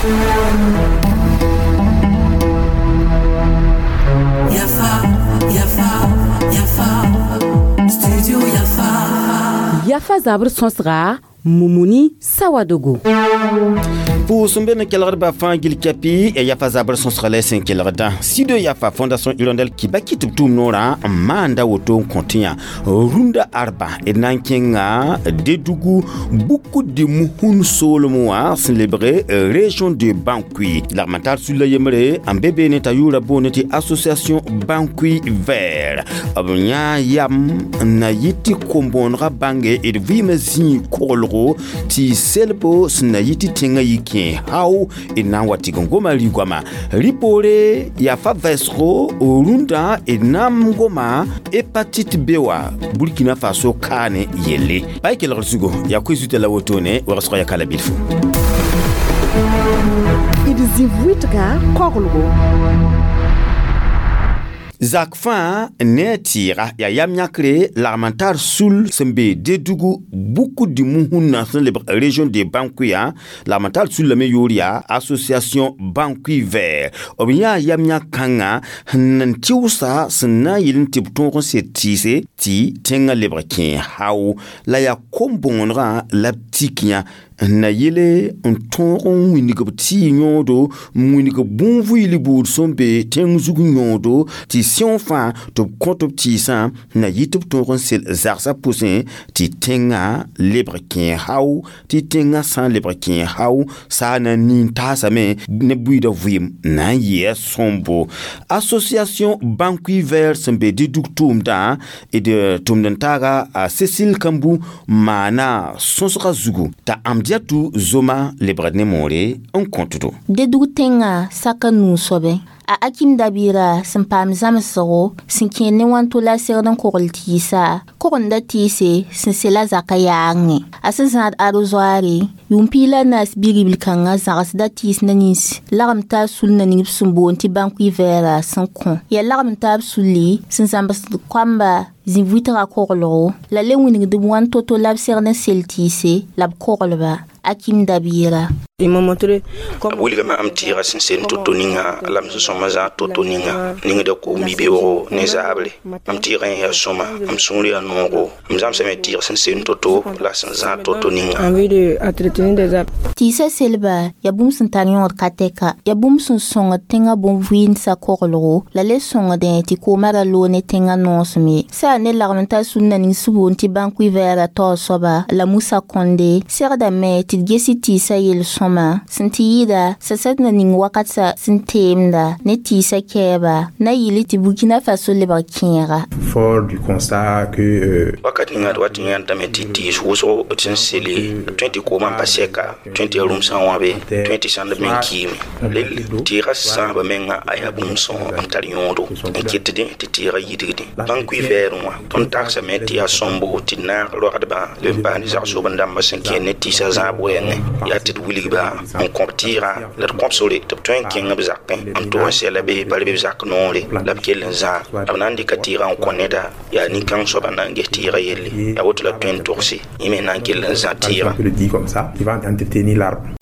Yafa, Yafa, Yafa, Studio Yafa. Yafa zabr sõsga Mumuni Sawadogo. Pʋʋs n be ne kelgdbã fãa gil kɛpɩ ya yafa zabr sõsga la sẽn kelgdã Studio Yafa Fondation Hirondelle Kibaki tɩ b tʋʋm noorã n maanda woto n kõ tɩ yã rũndã arba d na n kẽnga Dedugu Buku de Muhun soolem wã sẽn lebge région de Bankui lagm n tar sulla yembre n be beene t'a yʋʋra boone tɩ association Bankui Vert b yã yam n na yɩ tɩ kom-bõonegã bãnge d vɩɩmã zĩig koglgo tɩ selbo sẽn na yɩ tɩ tẽngã yɩ kẽ hao d na n wa tɩg n goma rɩ-goama rɩ-poore yaa fa vɛɛsgo rũndã d na n goma hépatite B wã Burkina Faso kaane yelle pa y kelgr zugo yaa koe zuta la wotone wagsg ya kala bilfu. D zĩ wɩtga koglgo. Zak fãa ne a tɩɩga yaa yam yãkre lagm n tar sul sẽn be Dedugu Buku de Muhunã sẽn lebg région de Bankuya lagm n tar sullame yʋʋr yaa association Bankui Vert b yãa yam yãk kãngã sẽn n tɩʋsa sẽn na n yɩl n tɩ b tõog n sed tɩɩse tɩ tẽngã lebg kẽe hao la yaa kom-bõonegã la b tik yã n na yele n tõog n wĩndg b tɩɩ yõodo n wĩndg bõn-vɩɩl buud sẽn be tẽng zug yõodo tɩ sẽo fãa tɩ b kõ tɩ b tɩɩsã na yɩ tɩ b tõog n sel zagsã pʋsẽ tɩ tẽngã lebg kẽe hao tɩ tẽngã sã n lebg kẽe hao saa na n nin taasame ne buiidã vɩɩm na n yɩa sõmbo association Bankui Vert sẽn be Didug tʋʋmdã d tʋmd n taaga a Cécile Kambu maana sõsgã zugu t'a Amdiatou Zoma lebgd ne moore n kõtdo. Dedug tẽngã saka nuu-soabẽ a Akim Dabira sẽn paam zãmsgo sẽn kẽer ne wãnto la segd n kogl tɩɩsa kogenda tɩɩse sẽn sela zakã yaangẽ a sẽn zãad arrosoire yʋʋm piig la naas bi-ribl kãngã zãgsda tɩɩs na nins lagem taab sul na ning b sẽn boond tɩ Bankui Vert sẽn kõ yaa lagem taab sulli sẽn zãmsd koamba zĩ wɩtga koglgo la le wĩnigd b wãn to-to la b segd n sel tɩɩse la b koglba Akim Dabira. B wilgame am tɩɩga sẽn sel to-to ninga la m sẽn sõma zãag to-to ninga ningda koom-bi-beoogo ne zaabre am tɩɩgã yẽ yaa sõma m sũur yaa noogo m zãmsame tɩɩg sẽn sel to-to la sẽn zãag to-to ninga. Tɩɩsã selba yaa bũmb sẽn tar yõod ka tɛka yaa bũmb sẽn sõngd tẽngã bõn-vɩɩndsa koglgo la le sõngdẽ tɩ koomã ra loog ne tẽngã noosem ye sã ne lagm n tar sũnna ning sẽn boond tɩ Bankui Vert taoor soaba la Musa Konde segdame tɩ d gesi tɩɩsã yel-sõma sẽn tɩ yɩɩda sasad na ning wakatã sẽn teemda ne tɩɩsã kɛɛba na yɩl tɩ Burkina Faso lebg kẽega. Fort du constat que wakat ninga d wat n yãndame tɩ tɩɩs wʋsgo d sẽn sele tõe tɩ koomã n pa sɛka tõe tɩ yaa rũmsã wãbe tõe tɩ sãnd me n kiime lel tɩɩgã sãaba menga a yaa bũmb sõng n tar yõodo n ketdẽ tɩ tɩɩgã yidgdẽ Bankui Vert wã tõnd tagsame tɩ yaa sõmbo tɩ d naag roagdbã leb n paas ne zag-soben-dãmbã sẽn kẽer ne tɩɩsã zãab wɛɛngẽ yaa tɩ d wilgba n kõb tɩɩgã la d kõb sore tɩ b tõe n kẽng b zakẽ n tog n sɛla be pa be b zak noore la b kell n zãag b na n dɩka tɩɩgã n kõ neda yaa nin-kãng soaba na n ges tɩɩgã yelle yaa woto la b tõe n togse yẽ me na n kell n zã tɩɩgã.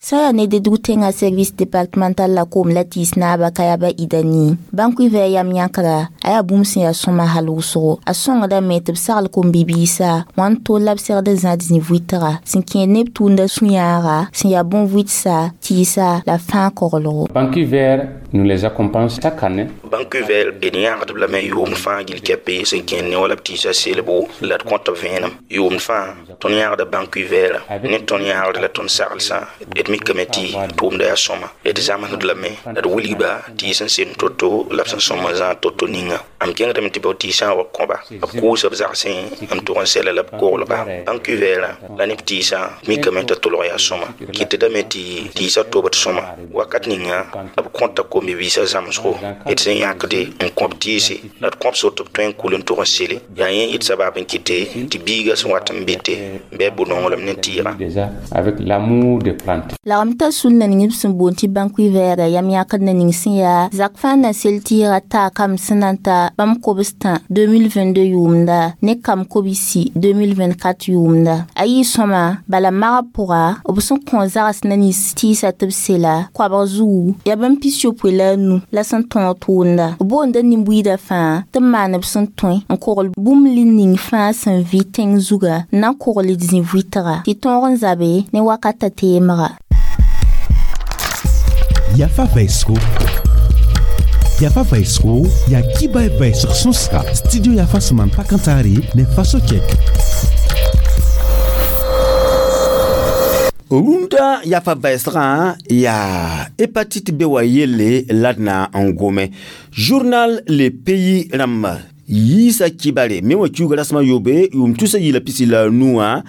Sã yaa ne Dedug tẽngã service départemental la koom la tɩɩs naaba Kayaba Idani Bankui Vert yam yãkra a yaa bũmb sẽn yaa sõma hal wʋsgo a sõngdame tɩ b sagl kom-bibiisã wãn tol la b segd n zãad zĩ-vʋɩtga sẽn kẽer neb tʋʋmda sũ-yãaga sẽn yaa bõn-vʋɩtsa tɩɩsa la fãa koglgo. Bankui Vert nous les accompagne chaque année. Bankui Vert d yãagdb lame yʋʋmd fãa gil kɛpe sẽn kẽer ne wala b tɩɩsã selbo la d kõt b vẽenem yʋʋmd fãa tõnd yãagda Bankui Vert ne tõnd yãagd la tõnd saglsã d mikame tɩ tʋʋmda yaa sõma d zãmsd lame la d wilgba tɩ sẽn sel to-to la b sẽn sõma zãag to-to ninga am kẽngdame tɩ b tɩɩsã wa kõba b kʋʋsa b zagsẽ n tʋg n sɛla la b koglba Bankui Vert la ne b tɩɩsã mikame t'a tolg yaa sõma kɩtdame tɩ tɩɩsã tobd sõma wakat ninga b kõta kom-bibiisã zãmsgo d sẽn n yãkde n kõb tɩɩse la d kõb sor tɩ b tõe n kul n tʋg n sele yaa yẽ yɩt sabab n kɩte tɩ biiga sẽn wat n bɩte bɩ a bu-nonglem ne tɩɩgã. Déjà avec l'amour des plantes. Lagm t'a sul na ning b sẽn boond tɩ bãnkui vɛɛga yam yãkd na ning sẽn yaa zak fãa na sel tɩɩga taa kam sẽn na n ta bãmb kobs-tã 2022 yʋʋmda ne kam kobsi 2024 yʋʋmda a yɩ sõma bala magb pʋga b sẽn kõ zags na nins tɩɩsa tɩ b sela koabg zugu yaa bãmb 65 la sẽn tõog tʋʋmda b boonda nin-buiidã fãa tɩ b maan b sẽn tõe n kogl bũmb li ning fãa sẽn vɩ tẽng zuga n na n kogl d zĩ-vʋɩtga tɩ tõog n zabe ne wakata teemga. Yafa Vaisco. Yafa Vaisco, ya kiba vaisg sõsga. Studio Yafa sẽn maan pakãntaare ne faso kɛk. Rũndã yafa vɛɛsgã yaa hépatite B wa yelle la d na n gome. Journal Le Pays rãmba yiisa kibare me wã kiuga rasmã yobe yʋʋm tusa yɩɩla pisi la a nu wã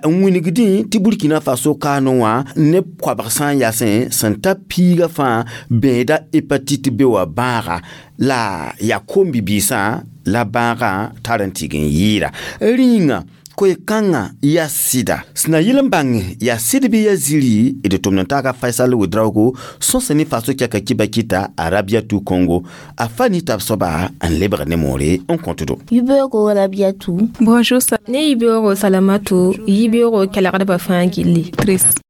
n wingdẽ tɩ Burkina Faso kaanẽ wã neb koabg sã n yasẽ sẽn ta piiga fãa bẽeda hépatite B wã bãaga la yaa kom-bibiisã la bãagã tar n tɩg n yɩɩda rĩnga koe-kãngã yaa sɩda sẽn na yɩl n bãng yaa sɩd bɩ yaa ziri d tʋmd n taaga Faisal Ouedraogo sõs ne faso kɛka kiba kɩta Arabiatu Congo a fa ni tab soaba n lebg ne moore n kõtdo. Yibeoogo Rabiatu. Bonjour. Ne yibeoogo Salamatu, yibeoogo kelgdbã fãa gilli. Triste.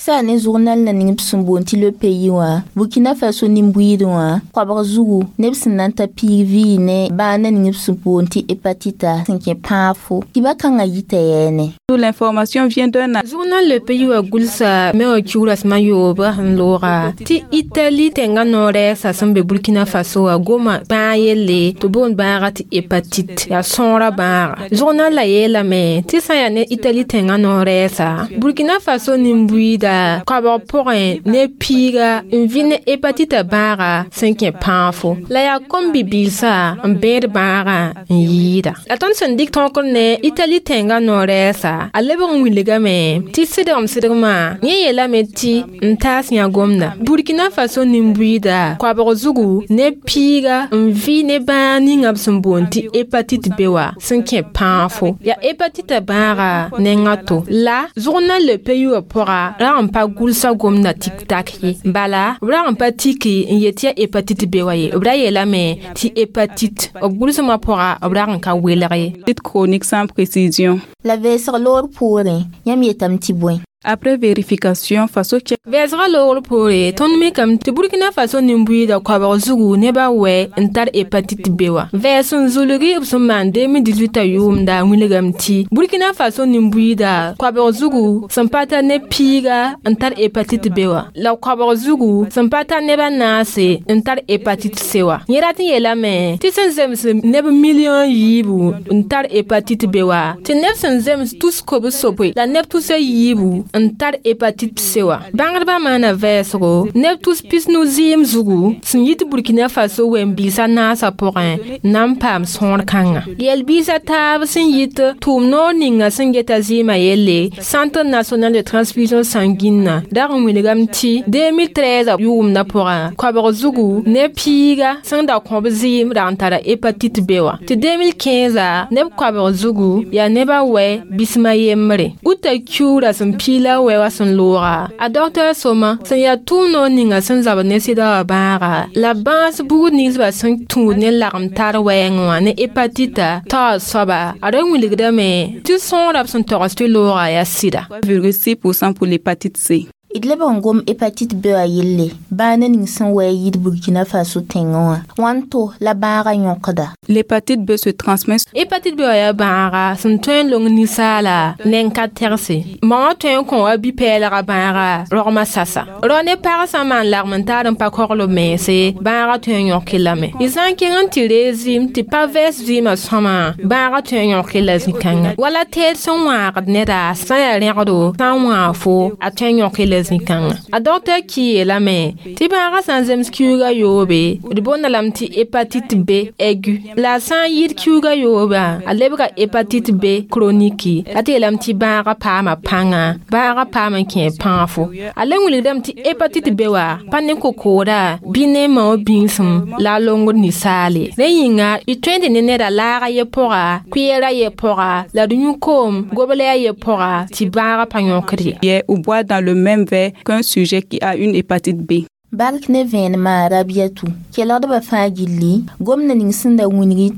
Sã ne journal na ning b sẽn boond tɩ Le Pays wã Burkina Faso nin-buiidẽ wã koabg zugu neb sẽn na n ta piig vɩɩ ne bãag na ning b sẽn boond tɩ hépatite sẽn kẽ pãafo kiba kãngã yita yɛɛne. L'information vient d'un Journal Le Pays wã gʋlsa me wã kiugra sẽm a yoobã sẽn looga tɩ Itali tẽngã noor-rɛɛsã sẽn be Burkina Faso wã goma bãag yelle tɩ boond bãaga tɩ hépatite yaa sõora bãaga. Journal la yeelame tɩ sã n yaa ne Itali tẽngã noor-rɛɛsa Burkina Faso nin-buiida koabg pʋgẽ ne piiga n vɩ ne hépatite bãaga sẽn kẽ pãafo la yaa kom-bibiisã n bẽed bãagã n yɩɩda. La tõnd sẽn dɩk tõkr ne Itali tẽngã noor-rɛɛsa a lebg n wilgame tɩ sɩdgem-sɩdgmã yẽ yeelame tɩ n taas yã gomda Burkina Faso nin-buiida koabg zugu ne piiga n vɩ ne bãag ninga b sẽn boond tɩ hépatite B wã sẽn kẽ pãafo yaa hépatite bãaga nengã to la Journal Le Pays wã pʋga rag n pa gʋlsa gomda tik-tak ye bala b rag n pa tiki n yet tɩ yaa hépatite B wã ye b ra yeelame tɩ hépatite b gʋlsmã pʋga b rag n ka welg ye. Chronique sans précision. La vɛɛsg loor poorẽ yãmb yetame tɩ bõe. Après vérification, Faso check. Vɛɛsgã loogr poore tõnd mikame tɩ Burkina Faso nin-buiidã koabg zugu nebã wɛ n tar hépatite B wã. Vɛɛs sẽn zulgi b sẽn maan 2018 yʋʋmda wilgame tɩ Burkina Faso nin-buiidã koabg zugu sẽn pa tar ne piiga n tar hépatite B wã la koabg zugu sẽn pa tar neb a naase n tar hépatite C wã. Yẽ rat n yeelame tɩ sẽn zems neb million yiibu n tar hépatite B wã tɩ neb sẽn zems tus kobs-sopoe la neb tus a yiibu n tar hépatite C wã. Bãngdbã maana vɛɛsgo neb tus pisnu zɩɩm zugu sẽn yit Burkina Faso wẽn-biisã naasã pʋgẽ na n paam sõor kãnga. Yɛl-biisã taab sẽn yit tʋʋm-noor ninga sẽn geta zɩɩmã yelle Centre national de transfusion sanguine dag n wilgame tɩ 2013 yʋʋmdã pʋgã koabg zugu ne piiga sẽn da kõb zɩɩm rag n tara hépatite B wã tɩ 2015 neb koabg zugu yaa nebã wɛ bismã yembre. Uta kiugra sẽn piila wɛ wã sẽn looga a docteur sõma sẽn yaa tʋʋm-noor ninga sẽn zabd ne sɩda wã bãaga la bãas buud ninsbã sẽn tũud ne lagem tar wɛɛngẽ wã ne hépatite taoor soaba a ra wilgdame tɩ sõorã b sẽn togs tɩ looga yaa sɩda. 3,6% pour l'hépatite C. D lebg n gom hépatite B wã yelle bãag na ning sẽn wɛ yit Burkina Faso tẽngẽ wã wãnto la bãagã yõkda. L'hépatite B se transmet. Hépatite B wã yaa bãaga sẽn tõe n long ninsaala neng ka tɛgse ma wã tõe n kõ wa bi-pɛɛlgã bãaga rogmã sasa rao ne pag sã n maan lagm n taar n pa kogl b mense bãaga tõe n yõk lame y sã n kẽng n tɩ ree zɩɩm tɩ pa vɛɛs zɩɩmã sõma bãaga tõe n yõk la zĩ-kãngã wala teed sẽn wãagd neda sã n yaa rẽgdo sã n wãag fo a tõe n yõk la la zĩ-kãngã. A dɔkta ki yeelame tɩ bãagã sã n zems kiuugã yoobe, d boonda lame tɩ hépatite B aigu. La a sã n yɩɩd kiuugã yoobã, a lebga hépatite B chronique, la tɩ yeelame tɩ bãagã paama pãnga, bãagã paam n kẽ pãafo. A le wilgdame tɩ hépatite B wa pa ne kokooda bɩ ne mao bĩngsem la a longd ninsaale. Rẽ yĩnga y tõe n tɩ ne neda laaga ye pʋga, kʋɩɛra ye pʋga, la d yũ koom goblɛa ye pʋga tɩ bãagã pa yõkd ye. Ou boire dans le même verre qu'un sujet qui a une hépatite B. Bark ne vẽenemã Rabiatu kelgdbã fãa gilli gomda ning sẽn da wĩngi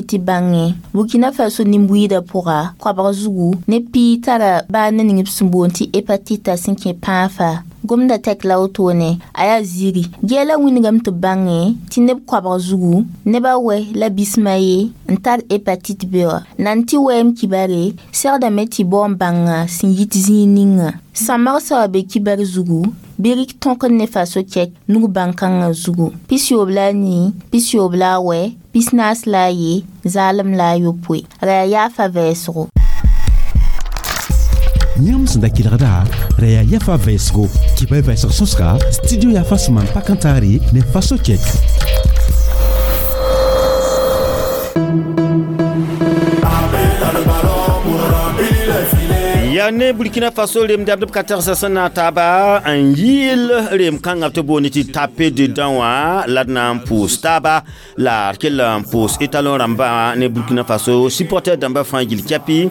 tɩ bãngẽ Burkina Faso nin-buiidã pʋga koabg zugu ne piig tara baa ne ning b sẽn boond tɩ hépatite sẽn kẽ pãafa. Gomda tɛk la wotone a yaa ziiri gɛɛla wĩngame tɩ bãngẽ tɩ neb koabg zugu nebã wɛ la bismã ye n tar hépatite B wã. Nan tɩ wɛɛm kibare segdame tɩ bao n bãnga sẽn yit zĩig ninga. Sã-magsã wa be kibar zugu bɩ rɩk tõkd ne faso kɛk nug bãn-kãngã zugu 94, 98, 41, 0 la 9 ra yaa yaafa vɛɛsgo. Yãmb sẽn da kelgda ra yaa yafa vɛɛsgo kɩba vɛɛsg sõsga studio yafa sẽn maan pak n taare ne faso kɛk. Ya ne Burkina Faso rem dabd b ka tagsa sẽn na n taaba n yɩɩl rem kãngã tɩ boond tɩ tape dedã wã la d na n pʋʋs taaba la d kell n pʋʋs étalon rãmbã ne Burkina Faso supporter dãmbã fãa gil kɛpɩ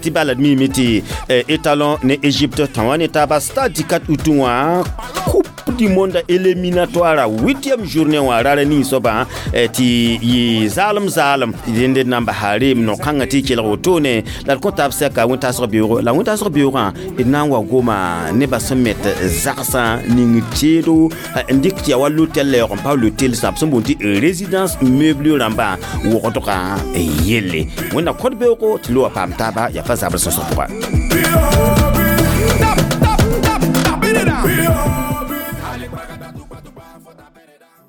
tɩ bala d miime tɩ étalon ne Égypte tã wã ne taaba stade tɩ 4 août wã coupe du monde éliminatoire 8e journée wã rara ning soabã tɩ yɩ zaalem zaalem dẽnd na n basa reem no-kãngã tɩ y kelg wotone la d kõ taab sɛka wẽn-taasg beoogo la wẽn-taasg beoogã d na n wa goma nebã sẽn met zagsã ning teedo n dɩk tɩ yaa wa lotel la yaoog n pa lotel sã b sẽn boond tɩ résidence meuble rãmbã wogdgã yelle wẽnna kod beoogo tɩ loa paam taaba yaa fa zabr sõsg pʋga.